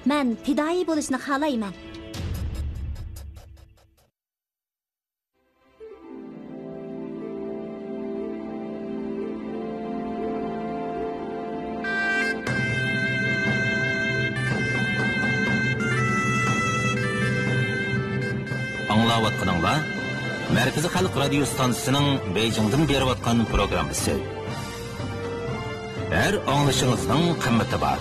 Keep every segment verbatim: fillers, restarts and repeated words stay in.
مەن پىدائىي بولۇشنى خالايمەن. ئاڭلاۋاتقىنىڭلار مەركىزىي خەلق رادىيو ستانسىسىنىڭ بېيجىڭدىن بېرىۋاتقان پروگراممىسى. ھەر ئاڭلىشىڭىزنىڭ قىممىتى بار.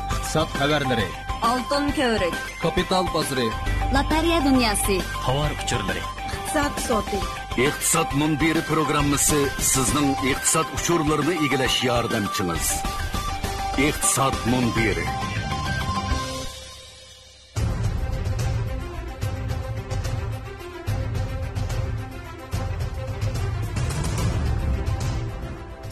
ئىقتىساد خەۋەرلىرى. ئالتۇن كۆۋرۈك. كاپىتال بازىرى. لاتېرېيە دۇنياسى. تاۋار ئۇچۇرلىرى. ئىقتىساد سوتى. ئىقتىساد مۇنبىرى پروگراممىسى سىزنىڭ ئىقتىساد ئۇچۇرلىرىنى ئىگىلەش ياردەمچىڭىز. ئىقتىساد مۇنبىرى.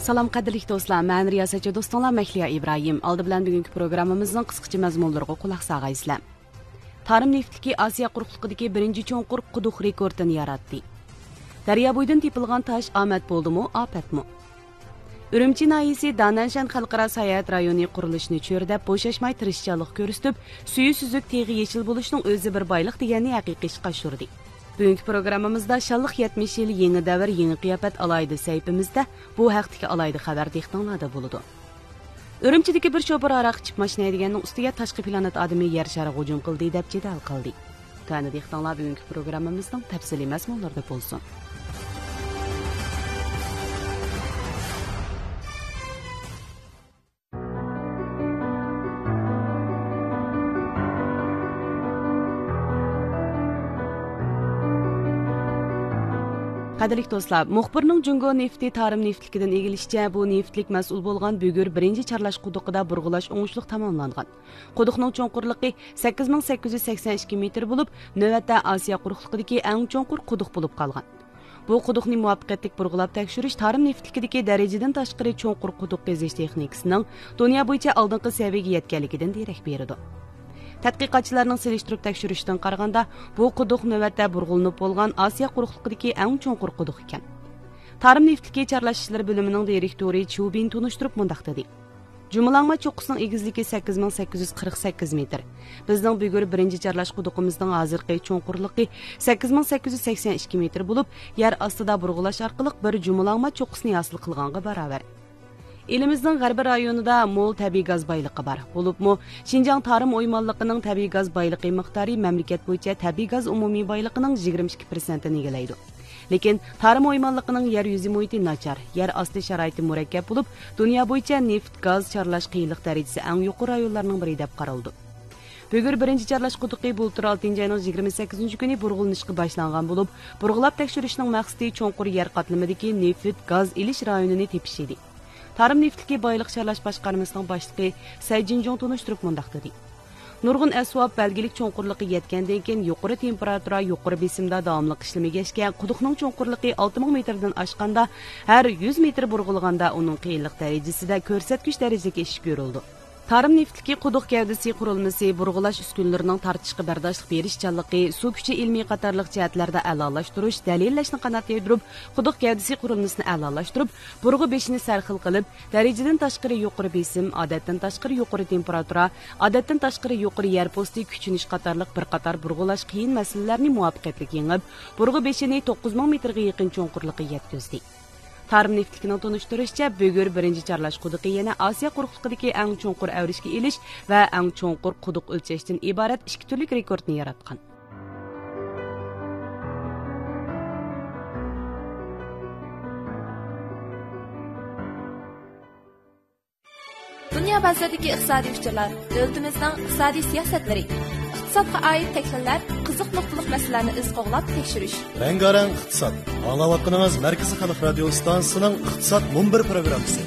سالام، قەدىرلىك دوستلار، مەن رىياسەتچى دوستۇڭلار مەھلىيا ئىبراھىم. ئالدى بىلەن بۈگۈنكى پروگراممىمىزنىڭ قىسقىچە مەزمۇنلىرىغا قۇلاق سالغايسىلەر. تارىم نېفىتلىكى ئاسىيا قۇرۇقلۇقىدىكى بىرىنچى چوڭقۇر قۇدۇق رېكورتىنى ياراتتى. دەريا بويىدىن تېپىلغان تاش ئامەت بولدىمۇ، ئاپەتمۇ؟ ئۈرۈمچى ناھىيىسى دانەنشەن خەلقئارا ساياھەت رايونى قۇرۇلۇشىنى چۆرىدەپ، بوشاشماي تىرىشچانلىق كۆرسىتىپ، سۈيى سۈزۈك، تېغى يېشىل بولۇشنىڭ ئۆزى بىر بايلىق دېگەننى ھەقىقىي ئىشقا ئاشۇردى. بۈگۈنكى پروگراممىمىزدا شانلىق يەتمىش يىل يېڭى دەۋر، يېڭى قىياپەت ئالاھىدە سەھىپىمىزدە بۇ ھەقتىكى ئالاھىدە خەۋەر دىققىتىڭلاردا بولىدۇ. ئۈرۈمچىدىكى بىر شوپۇر ھاراق ئىچىپ ماشىنا ھەيدىگەننىڭ ئۈستىگە تاشقى پلانېت ئادىمى يەر شارىغا ھۇجۇم قىلدى دەپ جېدەل قىلدى. تۆۋەندە دىققىتىڭلار بۈگۈنكى پروگراممىمىزنىڭ تەپسىلىي مەزمۇنلىرىدا بولسۇن. قەدىرلىك دوستلار، مۇخبىرنىڭ جۇڭگو نېفىتى تارىم نېفىتلىكىدىن ئىگىلىشىچە، بۇ نېفىتلىك مەسئۇل بولغان بۈگۈر بىرىنچى چارلاش قۇدۇقىدا بۇرغىلاش ئوڭۇشلۇق تاماملانغان. قۇدۇقنىڭ چوڭقۇرلۇقى سەككىز مىڭ سەككىز يۈز سەكسەن ئىككى مېتىر بولۇپ، نۆۋەتتە ئاسىيا قۇرۇقلۇقىدىكى ئەڭ چوڭقۇر قۇدۇق بولۇپ قالغان. بۇ قۇدۇقنى مۇۋەپپەقىيەتلىك بۇرغىلاپ تەكشۈرۈش تارىم نېفىتلىكىدىكى دەرىجىدىن تاشقىرى چوڭقۇر قۇدۇق قېزىش تېخنىكىسىنىڭ دۇنيا بويىچە ئالدىنقى سەۋىيەگە يەتكەنلىكىدىن دېرەك بېرىدۇ. تەتقىقاتچىلارنىڭ سېلىشتۇرۇپ تەكشۈرۈشىدىن قارىغاندا، بۇ قۇدۇق نۆۋەتتە بۇرغىلىنىپ بولغان ئاسىيا قۇرۇقلۇقىدىكى ئەڭ چوڭقۇر قۇدۇق ئىكەن. تارىم نېفىتلىكى چارلاش ئىشلىرى بۆلۈمىنىڭ دىرېكتورى چيۇ بىن تونۇشتۇرۇپ مۇنداق دېدى. جۇمىلاڭما چوققىسىنىڭ ئېگىزلىكى سەككىز مىڭ سەككىز يۈز قىرىق سەككىز مېتىر. بىزنىڭ بۈگۈر بىرىنچى چارلاش قۇدۇقىمىزنىڭ ھازىرقى چوڭقۇرلۇقى سەككىز مىڭ سەككىز يۈز سەكسەن ئىككى مېتىر بولۇپ، يەر ئاستىدا بۇرغىلاش ئارقىلىق بىر جۇمىلاڭما چوققىسىنى ھاسىل قىلغانغا باراۋەر. ئېلىمىزنىڭ غەربىي رايونىدا مول تەبىئىي گاز بايلىقى بار. بولۇپمۇ، شىنجاڭ تارىم ئويمانلىقىنىڭ تەبىئىي گاز بايلىقى مىقدارى مەملىكەت بويىچە تەبىئىي گاز ئومۇمىي بايلىقىنىڭ يىگىرمە ئىككى پىرسەنتىنى ئىگىلەيدۇ. لېكىن تارىم ئويمانلىقىنىڭ يەر يۈزى مۇھىتى ناچار، يەر ئاستى شارائىتى مۇرەككەپ بولۇپ، دۇنيا بويىچە نېفىت، گاز چارلاش قىيىنلىق دەرىجىسى ئەڭ يۇقىرى رايونلارنىڭ بىرى دەپ قارىلىدۇ. بۈگۈر بىرىنچى چارلاش قۇدۇقى بۇلتۇر ئالتىنچى ئاينىڭ يىگىرمە سەككىزىنچى كۈنى بۇرغىلىنىشقا باشلانغان بولۇپ، بۇرغىلاپ تەكشۈرۈشنىڭ مەقسىتى چوڭقۇر يەر قاتلىمىدىكى نېفىت، گاز ئېلىش رايونىنى تېپىش ئىدى. تارىم نېفىتلىكى بايلىق چارلاش باشقارمىسىنىڭ باشلىقى سەي جىنجۇڭ تونۇشتۇرۇپ مۇنداق دېدى. نۇرغۇن ئەسۋاب بەلگىلىك چوڭقۇرلۇققا يەتكەندىن كېيىن، يۇقىرى تېمپېراتۇرا، يۇقىرى بېسىمدا داۋاملىق ئىشلىمىگەچكە، قۇدۇقنىڭ چوڭقۇرلۇقى ئالتە مىڭ مېتىردىن ئاشقاندا، ھەر يۈز مېتىر بۇرغىلىغاندا ئۇنىڭ قىيىنلىق دەرىجىسىدە كۆرسەتكۈچ دەرىجىلىك ئېشىش كۆرۈلىدۇ. تارىم نېفىتلىكى قۇدۇق گەۋدىسى قۇرۇلمىسى، بۇرغىلاش ئۈسكۈنىلىرىنىڭ تارتىشقا بەرداشلىق بېرىشچانلىقى، سۇ كۈچى ئىلمىي قاتارلىق جەھەتلەردە ئەلالاشتۇرۇش، دەلىللەشنى قانات يايدۇرۇپ، قۇدۇق گەۋدىسى قۇرۇلمىسىنى ئەلالاشتۇرۇپ، بۇرغا بېشىنى سەرخىل قىلىپ، دەرىجىدىن تاشقىرى يۇقىرى بېسىم، ئادەتتىن تاشقىرى يۇقىرى تېمپېراتۇرا، ئادەتتىن تاشقىرى يۇقىرى يەر پوستى كۈچىنىش قاتارلىق بىر قاتار بۇرغىلاش قىيىن مەسىلىلەرنى مۇۋەپپەقىيەتلىك يېڭىپ، بۇرغا بېشىنى توققۇز مىڭ مېتىرغا يېقىن چوڭقۇرلۇققا يەتكۈزدى. تارىم نېفىتلىكىنىڭ تونۇشتۇرۇشىچە، بۈگۈر بىرىنچى چارلاش قۇدۇقى يەنە ئاسىيا قۇرۇقلۇقىدىكى ئەڭ چوڭقۇر ئەۋرىشكە ئېلىش ۋە ئەڭ چوڭقۇر قۇدۇق ئۆلچەشتىن ئىبارەت ئىككى تۈرلۈك رېكورتنى ياراتقان. دۇنيا بازىرىدىكى ئىقتىسادىي ئۇچۇرلار، دۆلىتىمىزنىڭ ئىقتىسادىي سىياسەتلىرى، ئىقتىسادقا ئائىت تەكلىمىلەر، قىزىق نۇقتىلىق مەسىلىلەرنى ئىز قوغلاپ تەكشۈرۈش. رەڭگارەڭ ئىقتىساد. ئاڭلاۋاتقىنىڭىز مەركىزىي خەلق رادىيو ئىستانسىسىنىڭ ئىقتىساد مۇنبىرى پروگراممىسى.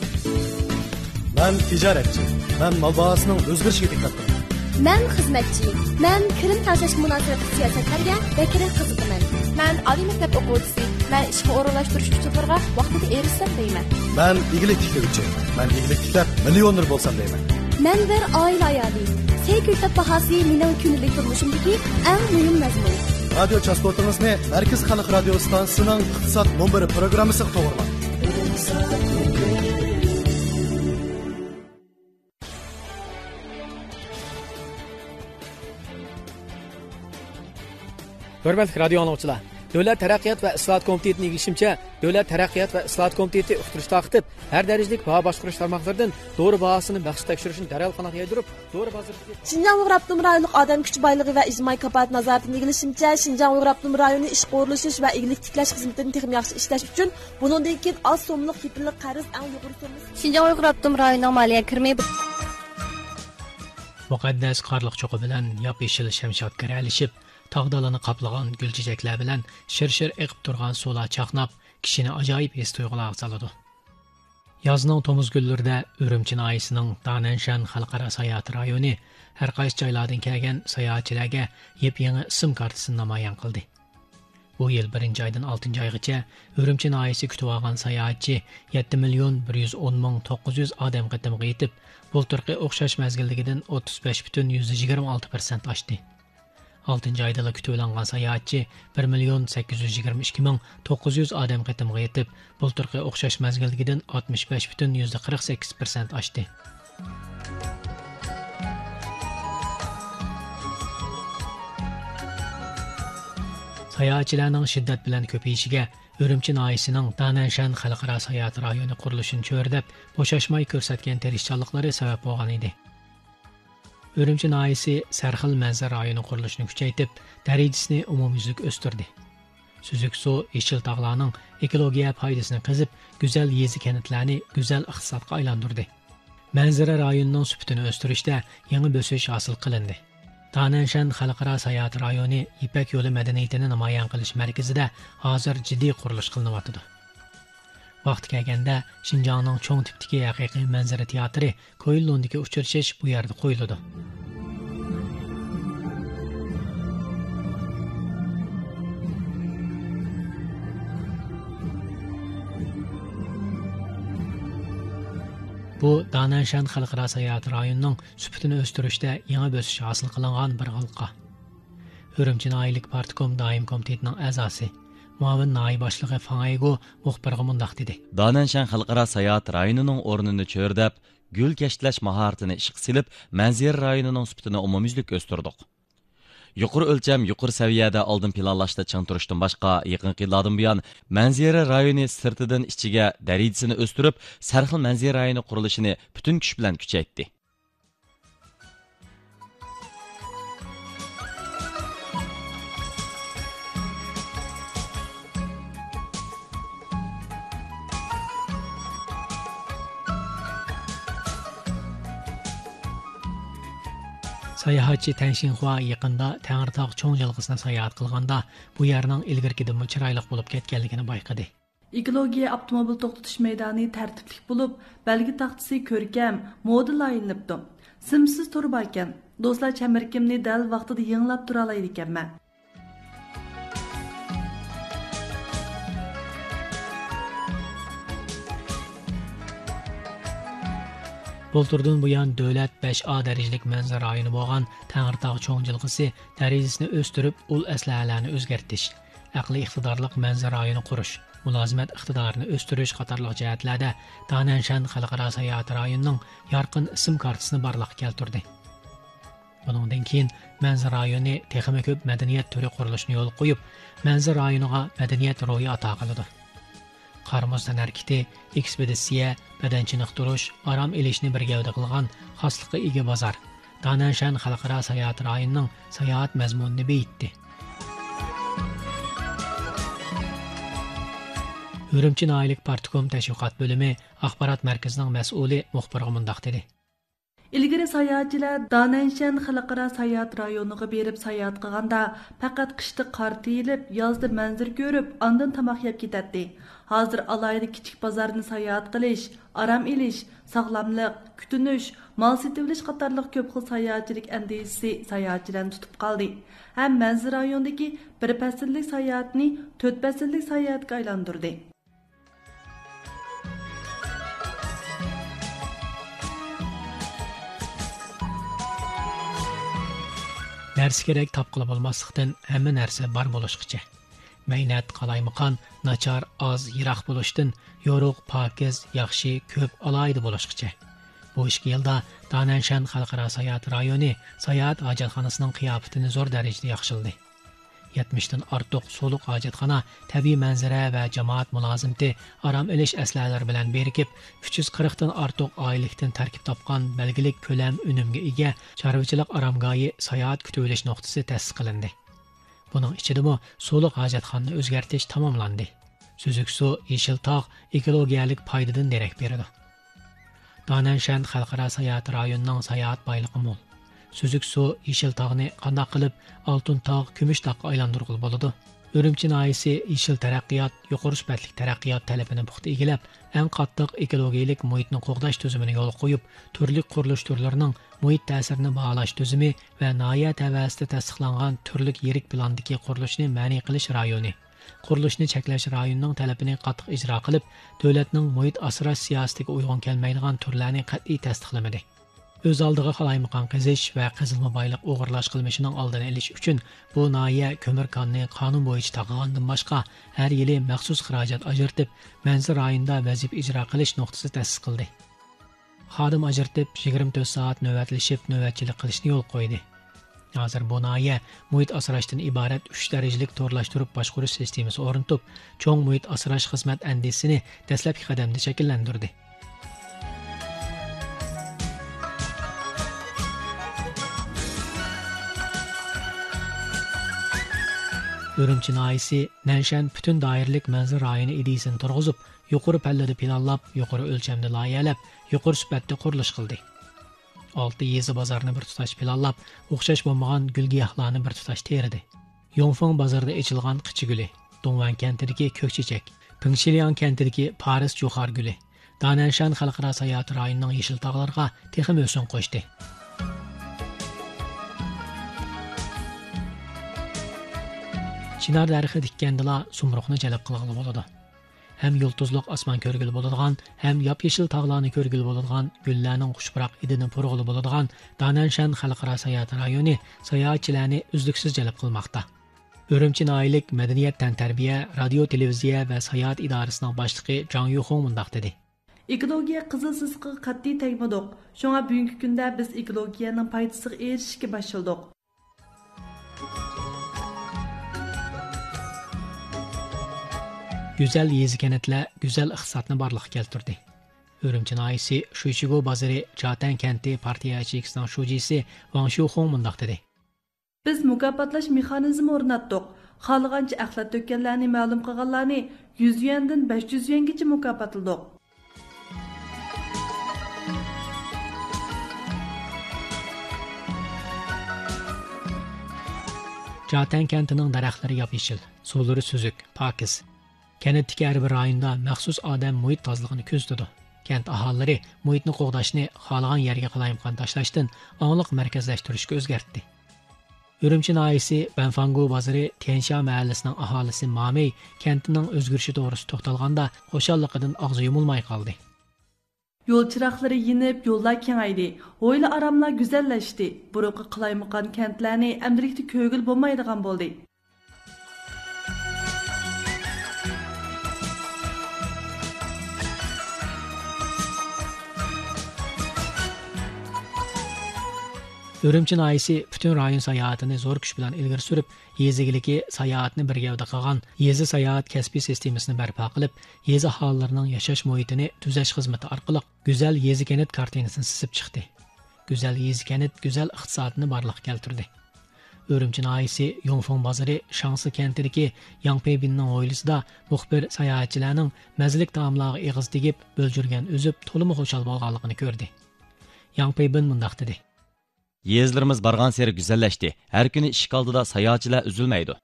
مەن تىجارەتچى. مەن مال باھاسىنىڭ ئۆزگىرىشىگە دىققەت قىلىمەن. مەن خىزمەتچى. مەن كىرىم تەڭشەشكە مۇناسىۋەتلىك سىياسەتلەرگە بەكرەك قىزىقىمەن. مەن ئالىي مەكتەپ ئوقۇغۇچىسى. مەن ئىشقا ئورۇنلاشتۇرۇش ئۇچۇرلىرىغا ۋاقتىدا ئېرىشسەم دەيمەن. مەن ئىگىلىك تىكلىگۈچى. مەن ئىگىلىك تىكلەپ، مىليونېر بولسام دەيمەن. مەن بىر ئائىلە ئايالى. سەي كۆكتات باھاسى مېنىڭ كۈندىلىك تۇرمۇشۇمدىكى ئەڭ مۇھىم مەزمۇن. رادىيو چاستوتىڭىزنى مەركىزىي خەلق رادىيو ئىستانسىسىنىڭ ئىقتىساد مۇنبىرى پروگراممىسىغا توغرىلاڭ. ھۆرمەتلىك رادىيو ئاڭلىغۇچىلار، دۆلەت تەرەققىيات ۋە ئىسلاھات كومىتېتىنىڭ ئىگىلىشىچە، دۆلەت تەرەققىيات ۋە ئىسلاھات كومىتېتى ئۇقتۇرۇش تارقىتىپ، ھەر دەرىجىلىك باھا باشقۇرۇش تارماقلىرىدىن دورا باھاسىنى مەخسۇس تەكشۈرۈشنى دەرھال قانات يايدۇرۇپ، دورا بازىرىدىكى شىنجاڭ ئۇيغۇر ئاپتونوم رايونلۇق ئادەم كۈچى بايلىقى ۋە ئىجتىمائىي كاپالەت نازارىتىنىڭ ئىگىلىشىچە، شىنجاڭ ئۇيغۇر ئاپتونوم رايونى ئىشقا ئورۇنلىشىش ۋە ئىگىلىك تىكلەش خىزمىتىنى تېخىمۇ ياخشى ئىشلەش ئۈچۈن، بۇنىڭدىن كېيىن ئاز سوممىلىق يېپىللىق قەرز ئەڭ يۇقىرى سوممىسى. شىنجاڭ ئۇيغۇر ئاپتونوم رايونىنىڭ مالىيە كىرىمى. مۇقەددەس قارلىق چوقى بىلەن ياپيېشىل شەمشاد گىرەلىشىپ، تاغ دالىنى قاپلىغان گۈل چېچەكلەر بىلەن شىر-شىر ئېقىپ تۇرغان سۇلار چاقناپ، كىشىنى ئاجايىپ ھېس تۇيغۇلارغا سالىدۇ. يازنىڭ تومۇز كۈنلىرىدە ئۈرۈمچى ناھىيەسىنىڭ دانەنشەن خەلقئارا ساياھەت رايونى ھەر قايسى جايلاردىن كەلگەن ساياھەتچىلەرگە يېپيېڭى ئىسىم كارتىسىنى نامايان قىلدى. بۇ يىل بىرىنچى ئايدىن ئالتىنچى ئايغىچە ئۈرۈمچى ناھىيەسى كۈتۈۋالغان ساياھەتچى يەتتە مىليون بىر يۈز ئون مىڭ توققۇز يۈز ئادەم قېتىمغا يېتىپ، بۇلتۇرقى ئوخشاش مەزگىلدىكىدىن ئوتتۇز بەش پۈتۈن يۈزدە يىگىرمە ئالتە پىرسەنت ئاشتى. ئالتىنچى ئايدىلا كۈتۈۋېلىنغان ساياھەتچى بىر مىليون سەككىز يۈز يىگىرمە ئىككى مىڭ توققۇز يۈز ئادەم قېتىمغا يېتىپ، بۇلتۇرقى ئوخشاش مەزگىلدىكىدىن ئاتمىش بەش پۈتۈن يۈزدە قىرىق سەككىز پىرسەنت ئاشتى. ساياھەتچىلەرنىڭ شىددەت بىلەن كۆپىيىشىگە ئۈرۈمچى ناھىيەسىنىڭ دانەنشەن خەلقئارا ساياھەت رايونى قۇرۇلۇشىنى چۆرىدەپ، بوشاشماي كۆرسەتكەن تىرىشچانلىقلىرى سەۋەب بولغان ئىدى. ئۈرۈمچى ناھىيەسى سەرخىل مەنزىرە رايونى قۇرۇلۇشىنى كۈچەيتىپ، دەرىجىسىنى ئومۇميۈزلۈك ئۆستۈردى. سۈزۈك سۇ، يېشىل تاغلارنىڭ ئېكولوگىيە پايدىسىنى قېزىپ، گۈزەل يېزا كەنتلەرنى گۈزەل ئىقتىسادقا ئايلاندۇردى. مەنزىرە رايونىنىڭ سۈپىتىنى ئۆستۈرۈشتە يېڭى بۆسۈش ھاسىل قىلىندى. دانەنشەن خەلقئارا ساياھەت رايونى يىپەك يولى مەدەنىيىتىنى نامايان قىلىش مەركىزىدە ھازىر جىددىي قۇرۇلۇش قىلىنىۋاتىدۇ. ۋاقتى كەلگەندە، شىنجاڭنىڭ چوڭ تىپتىكى ھەقىقىي مەنزىرە تىياتىرى كۇئېنلۇندىكى ئۇچرىشىش بۇ يەردە قويۇلىدۇ. بۇ دانەنشەن خەلقئارا ساياھەت رايونىنىڭ سۈپىتىنى ئۆستۈرۈشتە يېڭى بۆسۈش ھاسىل قىلىنغان بىر ھالقا. ئۈرۈمچى ناھىيەلىك پارتكوم دائىمىي كومىتېتىنىڭ ئەزاسى، مۇئاۋىن ناھىيە باشلىقى فاڭ ئەيگو مۇخبىرغا مۇنداق دېدى. دانەنشەن خەلقئارا ساياھەت رايونىنىڭ ئورنىنى چۆرىدەپ، گۈل كەشتىلەش ماھارىتىنى ئىشقا سېلىپ، مەنزىرە رايونىنىڭ سۈپىتىنى ئومۇميۈزلۈك ئۆستۈردۇق. يۇقىرى ئۆلچەم، يۇقىرى سەۋىيەدە ئالدىن پىلانلاشتا چىڭ تۇرۇشتىن باشقا، يېقىنقى يىللاردىن بۇيان، مەنزىرە رايونى سىرتىدىن ئىچىگە دەرىجىسىنى ئۆستۈرۈپ، سەرخىل مەنزىرە رايونى قۇرۇلۇشىنى پۈتۈن كۈچ بىلەن كۈچەيتتى. ساياھەتچى تەڭ شىڭخۇا يېقىندا تەڭرىتاغ چوڭ جىلغىسىنى ساياھەت قىلغاندا، بۇ يەرنىڭ ئىلگىرىكىدىنمۇ چىرايلىق بولۇپ كەتكەنلىكىنى بايقىدى. ئېكولوگىيە ئاپتوموبىل توختىتىش مەيدانى تەرتىپلىك بولۇپ، بەلگە تاختىسى كۆركەم، مودېل لايىھەلىنىپتۇ. سىمسىز تور باركەن. دوستلار چەمبىرىكىمنى دەل ۋاقتىدا يېڭىلاپ تۇرالايدىكەنمەن. بۇلتۇردىن بۇيان، دۆلەت بەش ئا دەرىجىلىك مەنزىرە رايونى بولغان تەڭرىتاغ چوڭ جىلغىسى دەرىجىسىنى ئۆستۈرۈپ، ئۇل ئەسلىھەلەرنى ئۆزگەرتىش، ئەقلىي ئىقتىدارلىق مەنزىرە رايونى قۇرۇش، مۇلازىمەت ئىقتىدارىنى ئۆستۈرۈش قاتارلىق جەھەتلەردە دانەنشەن خەلقئارا ساياھەت رايونىنىڭ يارقىن ئىسىم كارتىسىنى بارلىققا كەلتۈردى. بۇنىڭدىن كېيىن مەنزىرە رايونى تېخىمۇ كۆپ مەدەنىيەت تۈرى قۇرۇلۇشىنى يولغا قويۇپ، مەنزىرە رايونىغا مەدەنىيەت روھى ئاتا قىلىدۇ. قار-مۇز تەنھەرىكىتى، ئېكسپېدىتسىيە، بەدەن چېنىقتۇرۇش، ئارام ئېلىشنى بىر گەۋدە قىلغان خاسلىققا ئىگە بازار دانەنشەن خەلقئارا ساياھەت رايونىنىڭ ساياھەت مەزمۇنىنى بېيىتتى. ئۈرۈمچى ناھىيەلىك پارتكوم تەشۋىقات بۆلۈمى ئاخبارات مەركىزىنىڭ مەسئۇلى مۇخبىرغا مۇنداق دېدى. ئىلگىرى ساياھەتچىلەر دانەنشەن خەلقئارا ساياھەت رايونىغا بېرىپ ساياھەت قىلغاندا، پەقەت قىشتا قار تېيىلىپ، يازدا مەنزىرە كۆرۈپ، ئاندىن تاماق يەپ كېتەتتى. ھازىر ئالاھىدە كىچىك بازارنى ساياھەت قىلىش، ئارام ئېلىش، ساغلاملىق، كۈتۈنۈش، مال سېتىۋېلىش قاتارلىق كۆپ خىل ساياھەتچىلىك ئەندىزىسى ساياھەتچىلەرنى تۇتۇپ قالدى. ھەم مەنزىرە رايونىدىكى بىر پەسىللىك ساياھەتنى تۆت پەسىللىك ساياھەتكە ئايلاندۇردى. نەرسە كېرەك تاپقىلى بولماسلىقتىن، ھەممە نەرسە بار بولۇشقىچە. مەينەت، قالايمىقان، ناچار، ئاز، يىراق بولۇشتىن، يورۇق، پاكىز، ياخشى، كۆپ، ئالاھىدە بولۇشقىچە. بۇ ئىككى يىلدا دانەنشەن خەلقئارا ساياھەت رايونى ساياھەت ھاجەتخانىسىنىڭ قىياپىتىنى زور دەرىجىدە ياخشىلىدى. يەتمىشتىن ئارتۇق سۇلۇق ھاجەتخانا، تەبىئىي مەنزىرە ۋە جامائەت مۇلازىمىتى، ئارام ئېلىش ئەسلىھەلىرى بىلەن بىرىكىپ، ئۈچ يۈز قىرىقتىن ئارتۇق ئائىلىلىكتىن تەركىب تاپقان بەلگىلىك كۆلەم ئۈنۈمگە ئىگە چارۋىچىلىق ئارامگاھى ساياھەت كۈتۈۋېلىش نۇقتىسى تەسىس قىلىندى. بۇنىڭ ئىچىدىمۇ سۇلۇق ھاجەتخانىنى ئۆزگەرتىش تاماملاندى. سۈزۈك سۇ، يېشىل تاغ ئېكولوگىيەلىك پايدىدىن دېرەك بېرىدۇ. دانەنشەن خەلقئارا ساياھەت رايونىنىڭ ساياھەت بايلىقى مول. سۈزۈك سۇ، يېشىل تاغنى قانداق قىلىپ ئالتۇن تاغ، كۈمۈش تاغقا ئايلاندۇرغىلى بولىدۇ؟ ئۈرۈمچى ناھىيەسى يېشىل تەرەققىيات، يۇقىرى سۈپەتلىك تەرەققىيات تەلىپىنى پۇختا ئىگىلەپ، ئەڭ قاتتىق ئېكولوگىيەلىك مۇھىتنى قوغداش تۈزۈمىنى يولغا قويۇپ، تۈرلۈك قۇرۇلۇش تۈرلىرىنىڭ مۇھىت تەسىرىنى باھالاش تۈزۈمى ۋە ناھىيە تەۋەسىدە تەستىقلانغان تۈرلۈك يىرىك پىلاندىكى قۇرۇلۇشنى مەنئى قىلىش رايونى، قۇرۇلۇشنى چەكلەش رايونىنىڭ تەلىپىنى قاتتىق ئىجرا قىلىپ، دۆلەتنىڭ مۇھىت ئاسراش سىياسىتىگە ئۇيغۇن كەلمەيدىغان تۈرلەرنى قەتئىي تەستىقلىمىدى. ئۆز ئالدىغا قالايمىقان قېزىش ۋە قېزىلما بايلىق ئوغرىلاش قىلمىشىنىڭ ئالدىنى ئېلىش ئۈچۈن، بۇ ناھىيە كۆمۈر كاننى قانۇن بويىچە تاقىغاندىن باشقا، ھەر يىلى مەخسۇس خىراجەت ئاجرىتىپ، مەنزىرە رايونىدا ۋەزىپە ئىجرا قىلىش نۇقتىسى تەسىس قىلدى. خادىم ئاجرىتىپ، يىگىرمە تۆت سائەت نۆۋەتلىشىپ، نۆۋەتچىلىك قىلىشنى يولغا قويدى. ھازىر بۇ ناھىيە مۇھىت ئاسراشتىن ئىبارەت ئۈچ دەرىجىلىك تورلاشتۇرۇپ باشقۇرۇش سىستېمىسى ئورنىتىپ، چوڭ مۇھىت ئاسراش خىزمەت ئەندىزىسىنى دەسلەپكى قەدەمدە شەكىللەندۈردى. ئۈرۈمچى ناھىيىسى نەنشەن پۈتۈن دائىرىلىك مەنزىرە رايونى ئىدىيىسىنى تۇرغۇزۇپ، يۇقىرى پەللىدە پىلانلاپ، يۇقىرى ئۆلچەمدە لايىھەلەپ، يۇقىرى سۈپەتتە قۇرۇلۇش قىلدى. ئالتە يېزا بازارنى بىر تۇتاش پىلانلاپ، ئوخشاش بولمىغان گۈل-گىياھلارنى بىر تۇتاش تېرىدى. يوڭفېڭ بازىرىدا ئېچىلغان قىچا گۈلى، دۇڭۋەن كەنتىدىكى كۆك چېچەك، پىڭشىلياڭ كەنتىدىكى پارس جۇخار گۈلى، دانەنشان خەلقئارا ساياھەت رايونىنىڭ يېشىل تاغلىرىغا تېخىمۇ ھۆسن قوشتى. چىنار دەرىخى تىككەندىلا سۇمرۇغنى جەلپ قىلغىلى بولىدۇ. ھەم يۇلتۇزلۇق ئاسمان كۆرگىلى بولىدىغان، ھەم ياپيېشىل تاغلارنى كۆرگىلى بولىدىغان، گۈللەرنىڭ خۇش پۇراق ھىدىنى پۇرىغىلى بولىدىغان دانەنشان خەلقئارا ساياھەت رايونى ساياھەتچىلەرنى ئۈزلۈكسىز جەلپ قىلماقتا. ئۈرۈمچى ناھىيەلىك مەدەنىيەت، تەنتەربىيە، رادىيو، تېلېۋىزىيە ۋە ساياھەت ئىدارىسىنىڭ باشلىقى جاڭ يۇخۇڭ مۇنداق دېدى. ئېكولوگىيە قىزىل سىزىقىغا قەتئىي تەگمىدۇق. شۇڭا بۈگۈنكى كۈندە بىز ئېكولوگىيەنىڭ پايدىسىغا ئېرىشىشكە باشلىدۇق. گۈزەل يېزا كەنتلەر گۈزەل ئىقتىسادنى بارلىققا كەلتۈردى. ئۈرۈمچى ناھىيىسى شۇيچىگۇ بازىرى جاتەن كەنتى پارتىيە ياچېيكىسىنىڭ شۇجىسى ۋاڭ شيۇخۇڭ مۇنداق دېدى. بىز مۇكاپاتلاش مېخانىزمى ئورناتتۇق. خالىغانچە ئەخلەت تۆككەنلەرنى مەلۇم قىلغانلارنى يۈز يۈەندىن بەش يۈز يۈەنگىچە مۇكاپاتلىدۇق. جاتەن كەنتىنىڭ دەرەخلىرى ياپيېشىل، سۇلىرى سۈزۈك، پاكىز. كەنتتىكى ھەر بىر رايوندا مەخسۇس ئادەم مۇھىت تازىلىقىنى كۆزىتىدۇ. كەنت ئاھالىلىرى مۇھىتنى قوغداشنى، خالىغان يەرگە قالايمىقان تاشلاشتىن ئاڭلىق مەركەزلەشتۈرۈشكە ئۆزگەرتتى. ئۈرۈمچى ناھىيىسى بەنفاڭگۇ بازىرى تيەنشيا مەھەللىسىنىڭ ئاھالىسى مامېي كەنتىنىڭ ئۆزگىرىشى توغرىسىدا توختالغاندا، خۇشاللىقىدىن ئاغزى يۇمۇلماي قالدى. يول چىراغلىرى يېنىپ، يوللار كېڭەيدى، ھويلا ئاراملار گۈزەللەشتى. بۇرۇنقى قالايمىقان كەنتلەرنى ئەمدىلىكتە كۆرگىلى بولمايدىغان بولدى. ئۈرۈمچى ناھىيىسى پۈتۈن رايون ساياھىتىنى زور كۈچ بىلەن ئىلگىرى سۈرۈپ، يېزا ئىگىلىكى ساياھەتنى بىر گەۋدە قىلغان يېزا ساياھەت كەسپىي سىستېمىسىنى بەرپا قىلىپ، يېزا ئاھالىلىرىنىڭ ياشاش مۇھىتىنى تۈزەش خىزمىتى ئارقىلىق گۈزەل يېزا كەنت كارتىنىسىنى سىزىپ چىقتى. گۈزەل يېزا كەنت گۈزەل ئىقتىسادنى بارلىققا كەلتۈردى. ئۈرۈمچى ناھىيىسى يۇڭفېڭ بازىرى شاڭسى كەنتىدىكى ياڭ پېيبىننىڭ ھويلىسىدا مۇخبىر ساياھەتچىلەرنىڭ مەززىلىك تائاملارغا ئېغىز تېگىپ، بۆلجۈرگەن ئۈزۈپ، تولىمۇ خۇشال بولغانلىقىنى كۆردى. ياڭ پېيبېن مۇنداق دېدى. يېزىلىرىمىز بارغانسېرى گۈزەللەشتى. ھەر كۈنى ئىشىك ئالدىدا ساياھەتچىلەر ئۈزۈلمەيدۇ.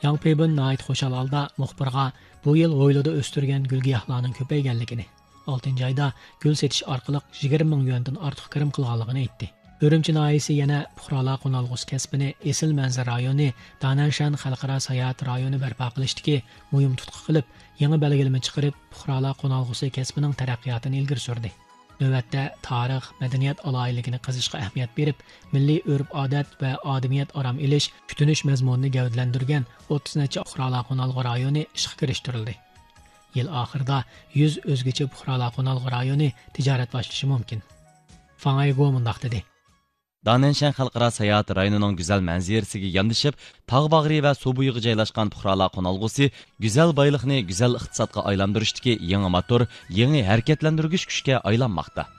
ياڭ پېيبېن ناھايىتى خۇشال ھالدا مۇخبىرغا بۇ يىل ھويلىدا ئۆستۈرگەن گۈل-گىياھلارنىڭ كۆپەيگەنلىكىنى، ئالتىنچى ئايدا گۈل سېتىش ئارقىلىق يىگىرمە مىڭ يۈەندىن ئارتۇق كىرىم قىلغانلىقىنى ئېيتتى. ئۈرۈمچى ناھىيەسى يەنە پۇقرالار قونالغۇسى كەسپىنى ئېسىل مەنزىرە رايونى، دانەنشەن خەلقئارا ساياھەت رايونى بەرپا قىلىشتىكى مۇھىم تۇتقا قىلىپ، يېڭى بەلگىلىمە چىقىرىپ، پۇقرالار قونالغۇسى كەسپىنىڭ تەرەققىياتىنى ئىلگىرى سۈردى. نۆۋەتتە تارىخ، مەدەنىيەت ئالاھىدىلىكىنى قېزىشقا ئەھمىيەت بېرىپ، مىللىي ئۆرپ-ئادەت ۋە ئادىمىيەت ئارام ئېلىش، كۈتۈنۈش مەزمۇنىنى گەۋدىلەندۈرگەن ئوتتۇز نەچچە پۇقرالار قونالغۇ رايونى ئىشقا كىرىشتۈرۈلدى. يىل ئاخىرىدا يۈز ئۆزگىچە پۇقرالار قونالغۇ رايونى تىجارەت باشلىشى مۇمكىن. فاڭ ئايگو مۇنداق دېدى. دانەنشەن خەلقئارا ساياھەت رايونىنىڭ گۈزەل مەنزىرىسىگە ياندىشىپ، تاغ باغرى ۋە سۇ بويىغا جايلاشقان پۇقرالار قونالغۇسى گۈزەل بايلىقنى گۈزەل ئىقتىسادقا ئايلاندۇرۇشتىكى يېڭى موتور، يېڭى ھەرىكەتلەندۈرگۈچ كۈچكە ئايلانماقتا.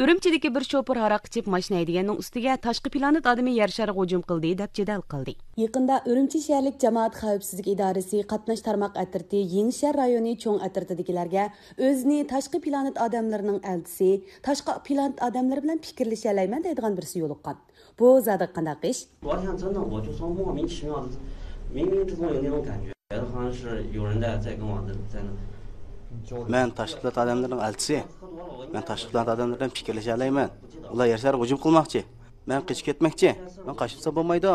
ئۈرۈمچىدىكى بىر شوپۇر ھاراق ئىچىپ ماشىنا ھەيدىگەننىڭ ئۈستىگە تاشقى پلانېت ئادىمى يەر شارىغا ھۇجۇم قىلدى دەپ جېدەل قىلدى. يېقىندا ئۈرۈمچى شەھەرلىك جامائەت خەۋپسىزلىك ئىدارىسى قاتناش تارماق ئەترىتى يېڭىشەھەر رايونى چوڭ ئەترىتىدىكىلەرگە ئۆزىنى تاشقى پلانېت ئادەملىرىنىڭ ئەلچىسى، تاشقى پلانېت ئادەملىرى بىلەن پىكىرلىشەلەيمەن دەيدىغان بىرسى يولۇققان. بۇ زادى قانداق ئىش؟ 我想真的，我就说莫名其妙的，明明之中有那种感觉，好像是有人在在跟我在在那。 مەن تاشقى پلانېت ئادەملىرىنىڭ ئەلچىسى. مەن تاشقى پلانېت ئادەملىرى بىلەن پىكىرلىشەلەيمەن. ئۇلار يەر شارىغا ھۇجۇم قىلماقچى. مەن قېچىپ كەتمەكچى. مەن قاچمىسام بولمايدۇ.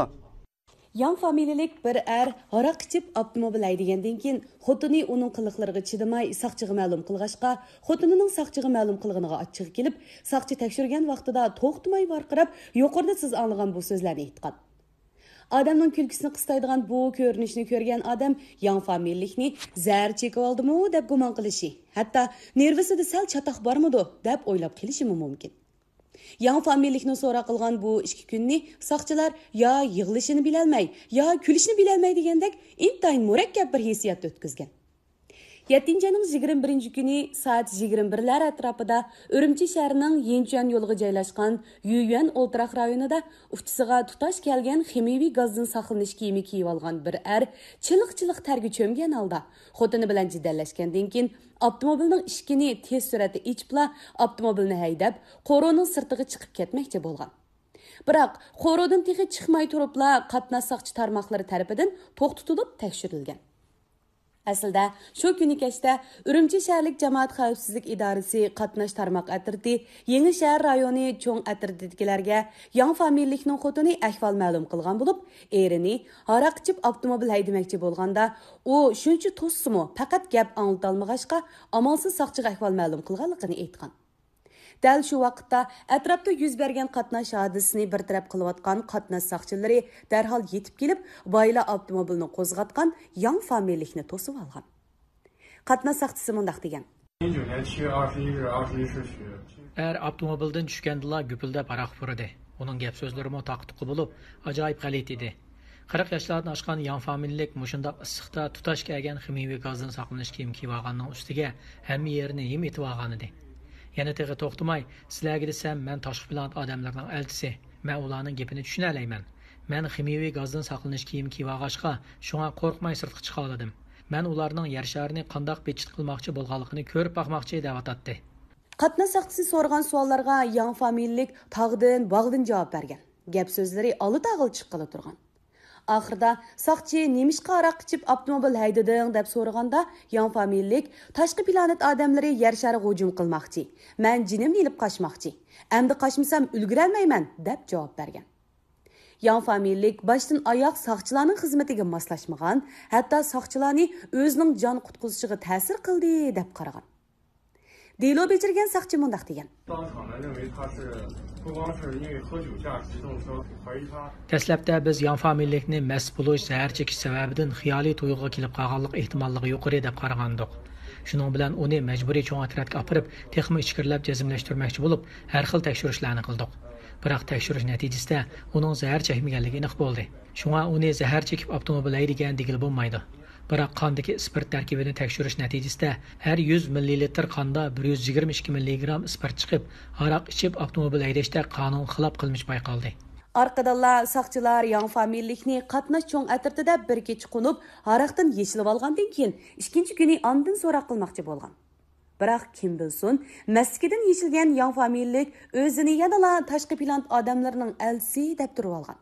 ياڭ فامىلىلىك بىر ئەر ھاراق ئىچىپ ئاپتوموبىل ھەيدىگەندىن كېيىن، خوتۇنى ئۇنىڭ قىلىقلىرىغا چىدىماي ساقچىغا مەلۇم قىلغاچقا، خوتۇنىنىڭ ساقچىغا مەلۇم قىلغىنىغا ئاچچىقى كېلىپ، ساقچى تەكشۈرگەن ۋاقتىدا توختىماي ۋارقىراپ، يۇقىرىدا سىز ئاڭلىغان بۇ سۆزلەرنى ئېيتقان. ئادەمنىڭ كۈلكىسىنى قىستايدىغان بۇ كۆرۈنۈشنى كۆرگەن ئادەم ياڭ فامىلىلىكنى زەھەر چېكىۋالدىمۇ دەپ گۇمان قىلىشى، ھەتتا نېرۋىسىدا سەل چاتاق بارمىدۇ دەپ ئويلاپ قېلىشىمۇ مۇمكىن. ياڭ فامىلىلىكنى سوراق قىلغان بۇ ئىككى كۈننى ساقچىلار يا يىغلىشىنى بىلەلمەي، يا كۈلۈشىنى بىلەلمەي دېگەندەك ئىنتايىن مۇرەككەپ بىر ھېسسىياتتا ئۆتكۈزگەن. يەتتىنچى ئاينىڭ يىگىرمە بىرىنچى كۈنى سائەت يىگىرمە بىرلەر ئەتراپىدا ئۈرۈمچى شەھىرىنىڭ يىنچۈەن يولىغا جايلاشقان يۈيۈەن ئولتۇراق رايونىدا ئۇچىسىغا تۇتاش كەلگەن خىمىيىۋى گازدىن ساقلىنىش كىيىمى كىيىۋالغان بىر ئەر چىلىق-چىلىق تەرگە چۆمگەن ھالدا خوتۇنى بىلەن جېدەللەشكەندىن كېيىن، ئاپتوموبىلنىڭ ئىشىكىنى تېز سۈرئەتتە ئېچىپلا، ئاپتوموبىلنى ھەيدەپ، قورۇنىڭ سىرتىغا چىقىپ كەتمەكچى بولغان. بىراق، قورۇدىن تېخى چىقماي تۇرۇپلا، قاتناش ساقچى تارماقلىرى تەرىپىدىن توختىتىلىپ تەكشۈرۈلگەن. ئەسلىدە، شۇ كۈنى كەچتە ئۈرۈمچى شەھەرلىك جامائەت خەۋپسىزلىك ئىدارىسى قاتناش تارماق ئەترىتى يېڭى شەھەر رايونى چوڭ ئەترىتىدىكىلەرگە ياڭ فامىلىلىكنىڭ خوتۇنى ئەھۋال مەلۇم قىلغان بولۇپ، ئېرىنى ھاراق ئىچىپ ئاپتوموبىل ھەيدىمەكچى بولغاندا، ئۇ شۇنچە توسسىمۇ، پەقەت گەپ ئاڭلىتالمىغاچقا، ئامالسىز ساقچىغا ئەھۋال مەلۇم قىلغانلىقىنى ئېيتقان. دەل شۇ ۋاقىتتا ئەتراپتا يۈز بەرگەن قاتناش ھادىسىسىنى بىر تەرەپ قىلىۋاتقان قاتناش ساقچىلىرى دەرھال يېتىپ كېلىپ، بايىلا ئاپتوموبىلنى قوزغاتقان ياڭ فامىلىلىكنى توسۇۋالغان. قاتناش ساقچىسى مۇنداق دېگەن. 一九年七月二十一日二十一时许。 ئەر ئاپتوموبىلدىن چۈشكەندىلا گۈپۈلدەپ ھاراق پۇرىدى. ئۇنىڭ گەپ سۆزلىرىمۇ تاقا-تۇقا بولۇپ، ئاجايىپ غەلىتە ئىدى. قىرىق ياشلاردىن ئاشقان ياڭ فامىلىلىك مۇشۇنداق ئىسسىقتا تۇتاش كەلگەن خىمىيىۋى گازدىن ساقلىنىش كىيىمى كىيىۋالغاننىڭ ئۈستىگە ھەممە يېرىنى ھىم ئېتىۋالغانىدى. يەنە تېخى توختىماي، سىلەرگە دېسەم، مەن تاشقى پلانېت ئادەملىرىنىڭ ئەلچىسى. مەن ئۇلارنىڭ گېپىنى چۈشىنەلەيمەن. مەن خىمىيىۋى گازدىن ساقلىنىش كىيىمى كىيىۋالغاچقا، شۇڭا قورقماي سىرتقا چىقالىدىم. مەن ئۇلارنىڭ يەر شارىنى قانداق بىتچىت قىلماقچى بولغانلىقىنى كۆرۈپ باقماقچى دەۋاتاتتى. قاتناش ساقچىسى سورىغان سوئاللارغا ياڭ فامىلىلىك تاغدىن، باغدىن جاۋاب بەرگەن. گەپ سۆزلىرى ئالا تاغىلا چىققىلى تۇرغان. ئاخىرىدا ساقچى نېمىشقا ھاراق ئىچىپ ئاپتوموبىل ھەيدىدىڭ دەپ سورىغاندا، ياڭ فامىلىلىك تاشقى پلانېت ئادەملىرى يەر شارىغا ھۇجۇم قىلماقچى، مەن جېنىمنى ئېلىپ قاچماقچى، ئەمدى قاچمىسام ئۈلگۈرەلمەيمەن دەپ جاۋاب بەرگەن. ياڭ فامىلىلىك باشتىن ئاياغ ساقچىلارنىڭ خىزمىتىگە ماسلاشمىغان، ھەتتا ساقچىلارنى ئۆزىنىڭ جان قۇتقۇزۇشىغا تەسىر قىلدى دەپ قارىغان. دېلو بېجىرگەن ساقچى مۇنداق دېگەن. 当场呢，认为他是不光是因为喝酒驾驶机动车，怀疑他 دەسلەپتە بىز ياڭ فامىلىلىكنى مەست بولۇش، زەھەر چېكىش سەۋەبىدىن خىيالىي تۇيغۇغا كېلىپ قالغانلىق ئېھتىماللىقى يۇقىرى دەپ قارىغانىدۇق. شۇنىڭ بىلەن ئۇنى مەجبۇرىي چوڭ ئەترەتكە ئاپىرىپ، تېخىمۇ ئىچكىرىلەپ جەزملەشتۈرمەكچى بولۇپ، ھەر خىل تەكشۈرۈشلەرنى قىلدۇق. بىراق تەكشۈرۈش نەتىجىسىدە ئۇنىڭ زەھەر چەكمىگەنلىكى ئېنىق بولدى. شۇڭا ئۇنى زەھەر چېكىپ ئاپتوموبىل ھەيدىگەن دېگىلى بولمايدۇ. بىراق قاندىكى ئىسپىرت تەركىبىنى تەكشۈرۈش نەتىجىسىدە ھەر يۈز مىللىلىتىر قاندا بىر يۈز يىگىرمە ئىككى مىللىگرام ئىسپىرت چىقىپ، ھاراق ئىچىپ ئاپتوموبىل ھەيدەشتە قانۇنغا خىلاپ قىلمىش بايقالدى. ئارقىدىنلا ساقچىلار ياڭ فامىلىلىكنى قاتناش چوڭ ئەترىتىدە بىر كېچە قونۇپ، ھاراقتىن يېشىلىۋالغاندىن كېيىن، ئىككىنچى كۈنى ئاندىن سوراق قىلماقچى بولغان. بىراق كىم بىلسۇن، مەستلىكىدىن يېشىلگەن ياڭ فامىلىلىك ئۆزىنى يەنىلا تاشقى پىلانېت ئادەملىرىنىڭ ئەلچىسى دەپ تۇرۇۋالغان.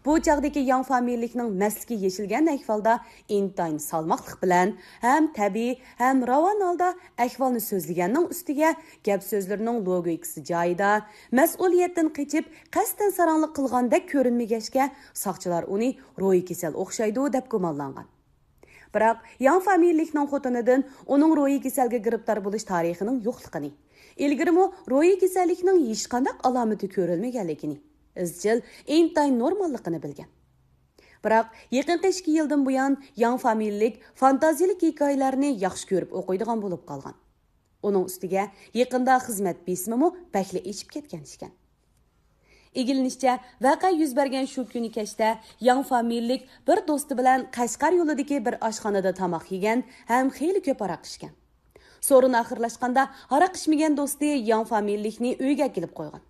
بۇ چاغدىكى ياڭ فامىلىلىكنىڭ مەستلىكى يېشىلگەن ئەھۋالدا ئىنتايىن سالماقلىق بىلەن ھەم تەبىئىي، ھەم راۋان ھالدا ئەھۋالنى سۆزلىگەننىڭ ئۈستىگە، گەپ سۆزلىرىنىڭ لوگىكىسى جايىدا، مەسئۇلىيەتتىن قېچىپ، قەستەن ساراڭلىق قىلغاندەك كۆرۈنمىگەچكە، ساقچىلار ئۇنى روھىي كېسەل ئوخشايدۇ دەپ گۇمانلانغان. بىراق ياڭ فامىلىلىكنىڭ خوتۇنىدىن ئۇنىڭ روھىي كېسەلگە گىرىپتار بولۇش تارىخىنىڭ يوقلۇقىنى، ئىلگىرىمۇ روھىي كېسەللىكنىڭ ھېچقانداق ئالامىتى كۆرۈلمىگەنلىكىنى، ئىزچىل، ئىنتايىن نورماللىقىنى بىلگەن. بىراق يېقىنقى ئىككى يىلدىن بۇيان ياڭ فامىلىلىك فانتازىيىلىك ھېكايىلەرنى ياخشى كۆرۈپ ئوقۇيدىغان بولۇپ قالغان. ئۇنىڭ ئۈستىگە يېقىندا خىزمەت بېسىمىمۇ بەكلا ئېشىپ كەتكەن ئىكەن. ئىگىلىنىشىچە، ۋەقە يۈز بەرگەن شۇ كۈنى كەچتە ياڭ فامىلىلىك بىر دوستى بىلەن قەشقەر يولىدىكى بىر ئاشخانىدا تاماق يېگەن ھەم خېلى كۆپ ھاراق ئىچكەن. سورۇن ئاخىرلاشقاندا، ھاراق ئىچمىگەن دوستى ياڭ فامىلىلىكنى ئۆيگە ئەكېلىپ قويغان.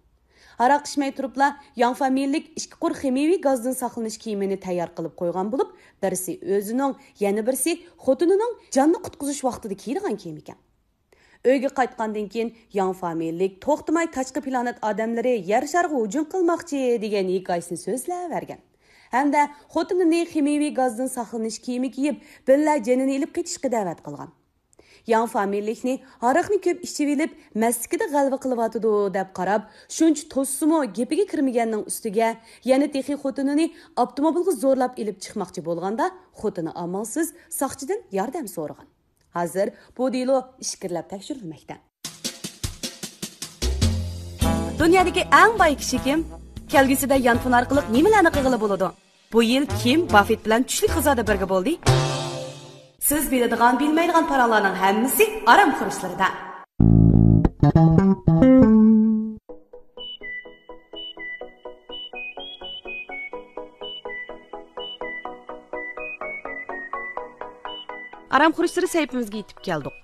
ھاراق ئىچمەي تۇرۇپلا، ياڭ فامىلىلىك ئىككى قۇر خىمىيىۋى گازدىن ساقلىنىش كىيىمىنى تەييار قىلىپ قويغان بولۇپ، بىرسى ئۆزىنىڭ، يەنە بىرسى خوتۇنىنىڭ جاننى قۇتقۇزۇش ۋاقتىدا كىيىدىغان كىيىم ئىكەن. ئۆيگە قايتقاندىن كېيىن، ياڭ فامىلىلىك توختىماي تاشقى پلانېت ئادەملىرى يەر شارىغا ھۇجۇم قىلماقچى دېگەن ھېكايىسىنى سۆزلەۋەرگەن ھەمدە خوتۇنىنى خىمىيىۋى گازدىن ساقلىنىش كىيىمى كىيىپ، بىللە جېنىنى ئېلىپ قېچىشقا دەۋەت قىلغان. ياڭ فامىلىلىكنى ھاراقنى كۆپ ئىچىۋېلىپ، مەستلىكىدە غەلۋە قىلىۋاتىدۇ، دەپ قاراپ، شۇنچە توسسىمۇ گېپىگە كىرمىگەننىڭ ئۈستىگە، يەنە تېخى خوتۇنىنى ئاپتوموبىلغا زورلاپ ئېلىپ چىقماقچى بولغاندا، خوتۇنى ئامالسىز ساقچىدىن ياردەم سورىغان. ھازىر بۇ دېلو ئىچكىرىلەپ تەكشۈرۈلمەكتە. دۇنيادىكى ئەڭ باي كىشى كىم؟ كەلگۈسىدە يانفون ئارقىلىق نېمىلەرنى قىلغىلى بولىدۇ؟ بۇ يىل كىم باففېت بىلەن چۈشلۈك غىزادا بىرگە بولدى؟ سىز بىلىدىغان، بىلمەيدىغان پاراڭلارنىڭ ھەممىسى ئارام خۇرۇچلىرىدا. ئارام خۇرۇچلىرى سەھىپىمىزگە يېتىپ كەلدۇق.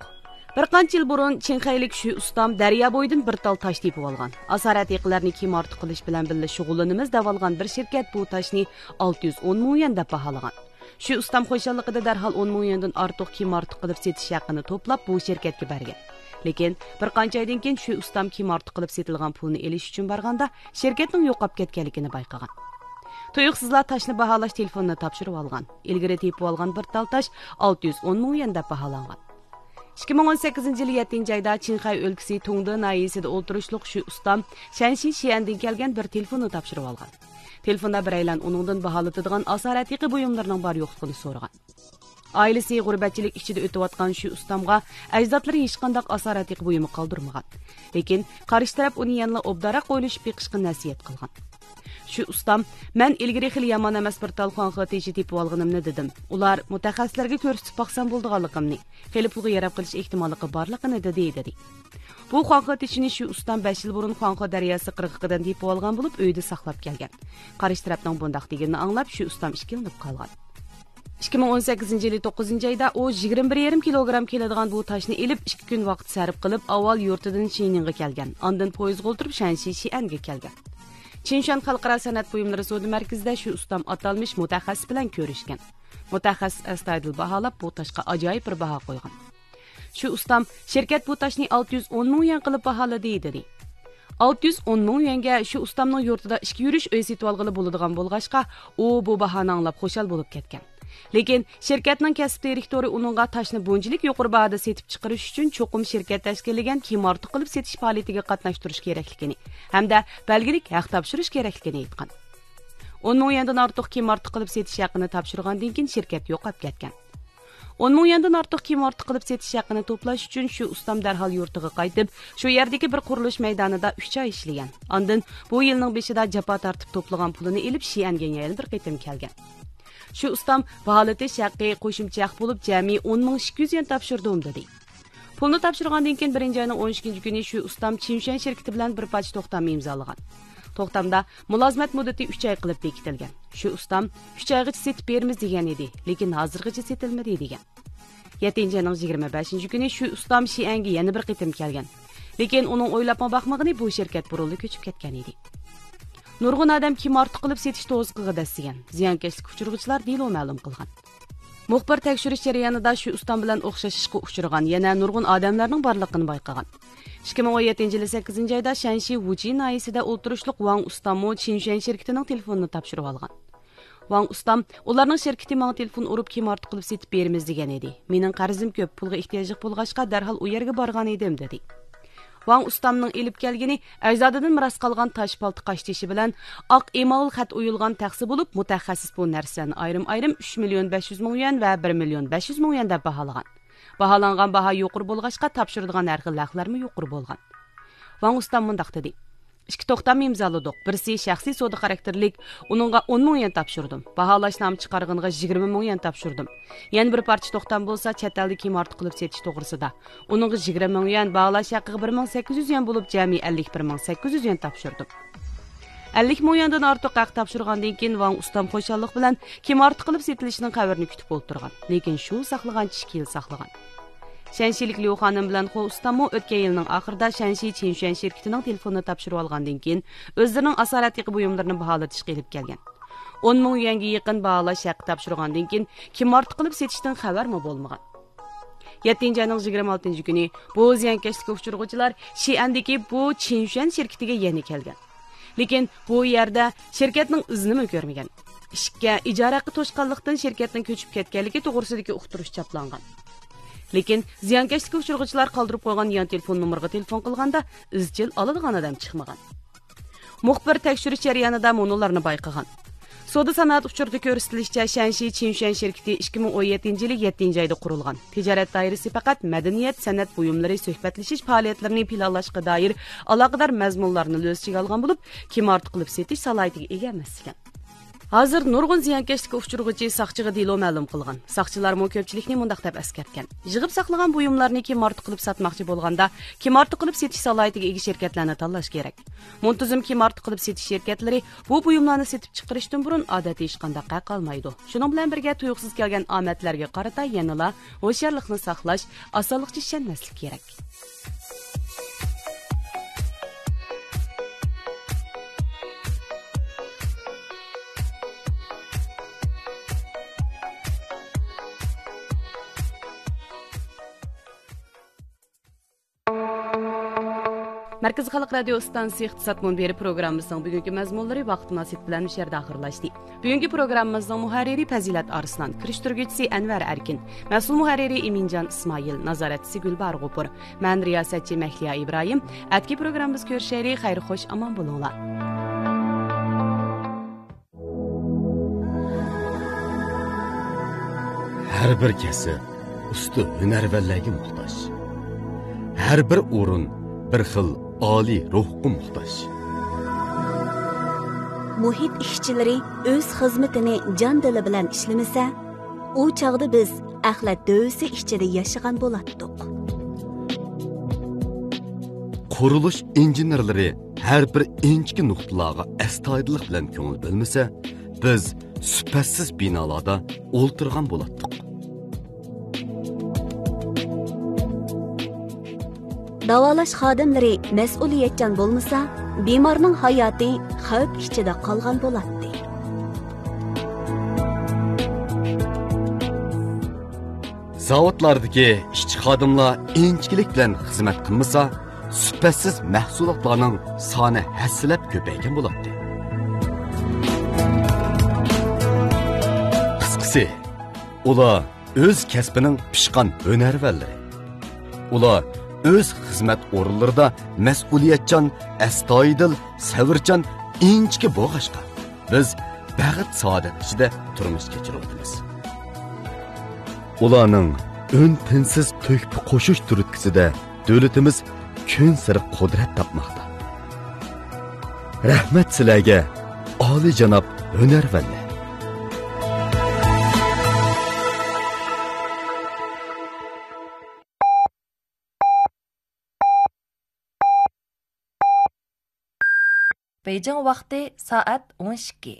بىر قانچە يىل بۇرۇن چىڭخەيلىك شۈ ئۇستام دەريا بويىدىن بىر تال تاش تېپىۋالغان. ئاسارئەتىقىلەرنى كىم ئارتۇق قىلىش بىلەن بىللە شۇغۇللىنىمىز دەۋالغان بىر شىركەت بۇ تاشنى ئالتە يۈز ئون مىڭ يۈەن دەپ باھالىغان. شۈ ئۇستام خۇشاللىقىدا دەرھال ئون مىڭ يۈەندىن ئارتۇق كىم ئارتۇق قىلىپ سېتىش ھەققىنى توپلاپ، بۇ شىركەتكە بەرگەن. لېكىن بىر قانچە ئايدىن كېيىن شۈ ئۇستام كىم ئارتۇق قىلىپ سېتىلغان پۇلنى ئېلىش ئۈچۈن بارغاندا، شىركەتنىڭ يوقاپ كەتكەنلىكىنى بايقىغان. تۇيۇقسىزلا تاشنى باھالاش تېلېفونىنى تاپشۇرۇۋالغان. ئىلگىرى تېپىۋالغان بىر تال تاش ئالتە يۈز ئون مىڭ يۈەن دەپ باھالانغان. ئىككى مىڭ ئون سەككىزىنچى يىلى يەتتىنچى ئايدا چىڭخەي ئۆلكىسى تۇڭدې ناھىيەسىدە ئولتۇرۇشلۇق شۈ ئۇستام شەنشى شىئەندىن كەلگەن بىر تېلېفوننى تاپشۇرۇۋالغان. تېلېفوندا بىرەيلەن ئۇنىڭدىن باھالىتىدىغان ئاسارئەتىقە بۇيۇملىرىنىڭ بار يوقلۇقىنى سورىغان. ئائىلىسى غۇربەتچىلىك ئىچىدە ئۆتۈۋاتقان شۈ ئۇستامغا ئەجدادلىرى ھېچقانداق ئاسارئەتىقە بۇيۇمى قالدۇرمىغان. لېكىن قارشى تەرەپ ئۇنى يەنىلا ئوبدانراق ئويلىشىپ بېقىشقا نەسىھەت قىلغان. شۈ ئۇستام، مەن ئىلگىرى خېلى يامان ئەمەس بىر تال خۇاڭخې تېشى تېپىۋالغىنىمنى دېدىم. ئۇلار مۇتەخەسسىسلەرگە كۆرسىتىپ باقسام بولىدىغانلىقىمنى، خېلى پۇلغا ياراپ قېلىش ئېھتىماللىقى بارلىقىنى دېدى، دېدى. بۇ خۇاڭخې تېشىنى شۈ ئۇستام بەش يىل بۇرۇن خۇاڭخې دەرياسى قىرغىقىدىن تېپىۋالغان بولۇپ، ئۆيىدە ساقلاپ كەلگەن. قارشى تەرەپنىڭ بۇنداق دېگىنىنى ئاڭلاپ، شۈ ئۇستام ئىككىلىنىپ قالغان. ئىككى مىڭ ئون سەككىزىنچى يىلى توققۇزىنچى ئايدا ئۇ يىگىرمە بىر يېرىم كىلوگرام كېلىدىغان بۇ تاشنى ئېلىپ، ئىككى كۈن ۋاقىت سەرپ قىلىپ، ئاۋۋال يۇرتىدىن شىنىڭغا كەلگەن، ئاندىن پويىزغا ئولتۇرۇپ شەنشى شىئەنگە كەلگەن. چىنشۈەن خەلقئارا سەنئەت بۇيۇملىرى سودا مەركىزىدە شۈ ئۇستام ئاتالمىش مۇتەخەسسىس بىلەن كۆرۈشكەن. مۇتەخەسسىس ئەستايىدىل باھالاپ، بۇ تاشقا ئاجايىپ بىر باھا قويغان. شۈ ئۇستام، شىركەت بۇ تاشنى ئالتە يۈز ئون مىڭ يۈەن قىلىپ باھالىدى، دېدى. ئالتە يۈز ئون مىڭ يۈەنگە شۈ ئۇستامنىڭ يۇرتىدا ئىككى يۈرۈش ئۆي سېتىۋالغىلى بولىدىغان بولغاچقا، ئۇ بۇ باھانى ئاڭلاپ خۇشال بولۇپ كەتكەن. لېكىن شىركەتنىڭ كەسىپ دىرېكتورى ئۇنىڭغا تاشنى بۇنچىلىك يۇقىرى باھادا سېتىپ چىقىرىش ئۈچۈن چوقۇم شىركەت تەشكىللىگەن كىم ئارتۇق قىلىپ سېتىش پائالىيىتىگە قاتناشتۇرۇش كېرەكلىكىنى ھەمدە بەلگىلىك ھەق تاپشۇرۇش كېرەكلىكىنى ئېيتقان. ئون مىڭ يۈەندىن ئارتۇق كىم ئارتۇق قىلىپ سېتىش ھەققىنى تاپشۇرغاندىن كېيىن شىركەت يوقاپ كەتكەن. ئون مىڭ يۈەندىن ئارتۇق كىم ئارتۇق قىلىپ سېتىش ھەققىنى توپلاش ئۈچۈن شۈ ئۇستام دەرھال يۇرتىغا قايتىپ، شۇ يەردىكى بىر قۇرۇلۇش مەيدانىدا ئۈچ ئاي ئىشلىگەن. ئاندىن بۇ يىلنىڭ بېشىدا جاپا تارتىپ توپلىغان پۇلىنى ئېلىپ، شىئەنگە يەنە بىر قېتىم كەلگەن. شۈ ئۇستام باھالىتىش ھەققى قوشۇمچە ھەق بولۇپ جەمئىي ئون مىڭ ئىككى يۈز يۈەن تاپشۇردۇم، دېدى. پۇلنى تاپشۇرغاندىن كېيىن، بىرىنچى ئاينىڭ ئون ئىككىنچى كۈنى شۈ ئۇستام چىنشۈەن شىركىتى بىلەن بىر پارچە توختام ئىمزالىغان. توختامدا مۇلازىمەت مۇددىتى ئۈچ ئاي قىلىپ بېكىتىلگەن. شۈ ئۇستام ئۈچ ئايغىچە سېتىپ بېرىمىز دېگەن ئىدى، لېكىن ھازىرغىچە سېتىلمىدى، دېگەن. يەتتىنچى ئاينىڭ يىگىرمە بەشىنچى كۈنى شۈ ئۇستام شىئەنگە يەنە بىر قېتىم كەلگەن. لېكىن ئۇنىڭ ئويلاپمۇ باقمىغىنى بۇ شىركەت بۇرۇنلا كۆچۈپ كەتكەن ئىدى. نۇرغۇن ئادەم كىم ئارتۇق قىلىپ سېتىش توزىقىغا دەسسىگەن. زىيانكەشلىككە ئۇچرىغۇچىلار دېلو مەلۇم قىلغان. مۇخبىر تەكشۈرۈش جەريانىدا شۈ ئۇستام بىلەن ئوخشاش ئىشقا ئۇچرىغان يەنە نۇرغۇن ئادەملەرنىڭ بارلىقىنى بايقىغان. ئىككى مىڭ ئون يەتتىنچى يىلى سەككىزىنچى ئايدا شەنشى ۋۇچى ناھىيەسىدە ئولتۇرۇشلۇق ۋاڭ ئۇستاممۇ چىنشۈەن شىركىتىنىڭ تېلېفونىنى تاپشۇرۇۋالغان. ۋاڭ ئۇستام، ئۇلارنىڭ شىركىتى ماڭا تېلېفون ئۇرۇپ، كىم ئارتۇق قىلىپ سېتىپ بېرىمىز دېگەن ئىدى. مېنىڭ قەرزىم كۆپ، پۇلغا ئېھتىياجلىق بولغاچقا، دەرھال ئۇ يەرگە بارغان ئىدىم، دېدى. ۋاڭ ئۇستامنىڭ ئېلىپ كەلگىنى ئەجدادىدىن مىراس قالغان تاش پالتا قاشتېشى بىلەن ئاق ئېمال خەت ئويۇلغان تەخسە بولۇپ، مۇتەخەسسىس بۇ نەرسىلەرنى ئايرىم-ئايرىم ئۈچ مىليون بەش يۈز مىڭ يۈەن ۋە بىر مىليون بەش يۈز مىڭ يۈەن دەپ باھالىغان. باھالانغان باھا يۇقىرى بولغاچقا، تاپشۇرىدىغان ھەر خىل ھەقلەرمۇ يۇقىرى بولغان. ۋاڭ ئۇستام مۇنداق دېدى: ئىككى توختام ئىمزالىدۇق. بىرسى شەخسىي سودا خاراكتېرلىك، ئۇنىڭغا ئون مىڭ يۈەن تاپشۇردۇم. باھالاشنامە چىقارغىنىغا يىگىرمە مىڭ يۈەن تاپشۇردۇم. يەنە بىر پارچە توختام بولسا چەت ئەلدە كىم ئارتۇق قىلىپ سېتىش توغرىسىدا. ئۇنىڭغا يىگىرمە مىڭ يۈەن، باھالاش ھەققىگە بىر مىڭ سەككىز يۈز يۈەن بولۇپ، جەمئىي ئەللىك بىر مىڭ سەككىز يۈز يۈەن تاپشۇردۇم. ئەللىك مىڭ يۈەندىن ئارتۇق ھەق تاپشۇرغاندىن كېيىن، ۋاڭ ئۇستام خۇشاللىق بىلەن كىم ئارتۇق قىلىپ سېتىلىشىنىڭ خەۋىرىنى كۈتۈپ ئولتۇرغان. لېكىن شۇ ساقلىغانچە ئىككى يىل ساقلىغان. شەنشىلىك ليۇ خانىم بىلەن خو ئۇستاممۇ ئۆتكەن يىلنىڭ ئاخىرىدا شەنشى چىنشۈەن شىركىتىنىڭ تېلېفونىنى تاپشۇرۇۋالغاندىن كېيىن، ئۆزلىرىنىڭ ئاسارەتىكى بۇيۇملىرىنى باھالىتىشقا ئېلىپ كەلگەن. ئون مىڭ يۈەنگە يېقىن باھالاش ھەققى تاپشۇرغاندىن كېيىن، كىم ئارتۇق قىلىپ سېتىشتىن خەۋەرمۇ بولمىغان. يەتتىنچى ئاينىڭ يىگىرمە ئالتىنچى كۈنى بۇ زىيانكەشلىككە ئۇچرىغۇچىلار شىئەندىكى بۇ چىنشۈەن شىركىتىگە يەنە كەلگەن. لېكىن بۇ يەردە شىركەتنىڭ ئىزىنىمۇ كۆرمىگەن. ئىككى، ئىجارە ھەققى توشقانلىقتىن شىركەتنىڭ كۆچۈپ كەتكەنلىكى توغرىسىدىكى ئۇقتۇرۇش چاپلانغان. لېكىن زىيانكەشلىككە ئۇچرىغۇچىلار قالدۇرۇپ قويغان يان تېلېفون نومۇرىغا تېلېفون قىلغاندا، ئىزچىل ئالىدىغان ئادەم چىقمىغان. مۇخبىر تەكشۈرۈش جەريانىدا مۇنۇلارنى بايقىغان. سودا سانائەت ئۇچۇرىدا كۆرسىتىلىشىچە، شەنشى چىنشۈەن شىركىتى ئىككى مىڭ ئون يەتتىنچى يىلى يەتتىنچى ئايدا قۇرۇلغان. تىجارەت دائىرىسى پەقەت مەدەنىيەت، سەنئەت بۇيۇملىرى، سۆھبەتلىشىش پائالىيەتلىرىنى پىلانلاشقا دائىر ئالاقىدار مەزمۇنلارنى ئۆز ئىچىگە ئالغان بولۇپ، كىم ئارتۇق قىلىپ سېتىش سالاھىيىتىگە ئىگە ئەمەس ئىكەن. ھازىر نۇرغۇن زىيانكەشلىككە ئۇچرىغۇچى ساقچىغا دېلو مەلۇم قىلغان. ساقچىلارمۇ كۆپچىلىكنى مۇنداق دەپ ئەسكەرتكەن: يىغىپ ساقلىغان بۇيۇملارنى كىم ئارتۇق قىلىپ ساتماقچى بولغاندا، كىم ئارتۇق قىلىپ سېتىش سالاھىيىتىگە ئىگە شىركەتلەرنى تاللاش كېرەك. مۇنتىزىم كىم ئارتۇق قىلىپ سېتىش شىركەتلىرى بۇ بۇيۇملارنى سېتىپ چىقىرىشتىن بۇرۇن ئادەتتە ھېچقانداق ھەق ئالمايدۇ. شۇنىڭ بىلەن بىرگە، تۇيۇقسىز كەلگەن ئامەتلەرگە قارىتا يەنىلا ھوشيارلىقنى ساقلاش، ئاسانلىقچە چۈشەنمەسلىك كېرەك. مەركىزىي خەلق رادىيو ئىستانسىسى ئىقتىساد مۇنبىرى پروگراممىسىنىڭ بۈگۈنكى مەزمۇنلىرى ۋاقىت مۇناسىۋىتى بىلەن مۇشۇ يەردە ئاخىرلاشتى. بۈگۈنكى پروگراممىمىزنىڭ مۇھەررىرى پەزىلەت ئارسلان، كىرىشتۈرگۈچىسى ئەنۋەر ئەركىن، مەسئۇل مۇھەررىرى ئىمىنجان ئىسمائىل، نازارەتچىسى گۈلباھار غوپۇر، مەن رىياسەتچى مەھلىيا ئىبراھىم. ئەتىكى پروگراممىمىزدا كۆرۈشەيلى، خەير خوش ئامان بولۇڭلار. ھەر بىر كەسىپ ئۇستا ھۈنەرۋەنلەرگە موھتاج. ھەر بىر ئورۇن بىر خىل ئالىي روھقا موھتاج. مۇھىت ئىشچىلىرى ئۆز خىزمىتىنى جان دىلى بىلەن ئىشلىمىسە، ئۇ چاغدا بىز ئەخلەت دۆۋىسى ئىچىدە ياشىغان بولاتتۇق. قۇرۇلۇش ئىنژېنېرلىرى ھەر بىر ئىنچىكە نۇقتىلارغا ئەستايىدىللىق بىلەن كۆڭۈل بۆلمىسە، بىز سۈپەتسىز بىنالاردا ئولتۇرغان بولاتتۇق. داۋالاش خادىملىرى مەسئۇلىيەتچان بولمىسا، بىمارنىڭ ھاياتى خەۋپ ئىچىدە قالغان بولاتتى. زاۋۇتلاردىكى ئىشچى خادىملار ئىنچىكىلىك بىلەن خىزمەت قىلمىسا، سۈپەتسىز مەھسۇلاتلارنىڭ سانى ھەسسىلەپ كۆپەيگەن بولاتتى. قىسقىسى، ئۇلار ئۆز كەسپىنىڭ پىشقان ھۈنەرۋەنلىرى. ئۇلار ئۆز خىزمەت ئورۇنلىرىدا مەسئۇلىيەتچان، ئەستايىدىل، سەۋرچان، ئىنچىكە بولغاچقا، بىز بەخت-سائادەت ئىچىدە تۇرمۇش كەچۈرۈۋاتىمىز. ئۇلارنىڭ ئۈن-تىنسىز تۆھپە قوشۇش تۈرتكىسىدە دۆلىتىمىز كۈنسېرى قۇدرەت تاپماقتا. رەھمەت سىلەرگە، ئالىيجاناب ھۈنەرۋەنلەر! بېيجىڭ ۋاقتى سائەت ئون ئىككى.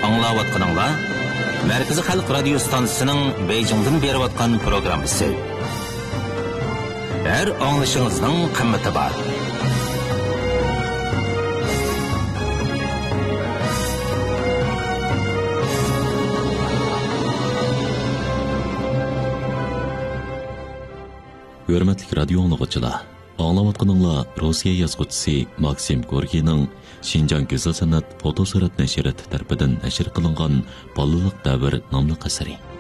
ئاڭلاۋاتقىنىڭلار مەركىزىي خەلق رادىيو ستانسىسىنىڭ بېيجىڭدىن بېرىۋاتقان پروگراممىسى. ھەر ئاڭلىشىڭىزنىڭ قىممىتى بار. ھۆرمەتلىك رادىيو ئاڭلىغۇچىلار، ئاڭلاۋاتقىنىڭلار روسىيە يازغۇچىسى ماكسىم گوركىينىڭ شىنجاڭ گۈزەل سەنئەت فوتوسۈرەت نەشرىياتى تەرىپىدىن نەشر قىلىنغان بالىلىق دەۋر ناملىق ئەسىرى.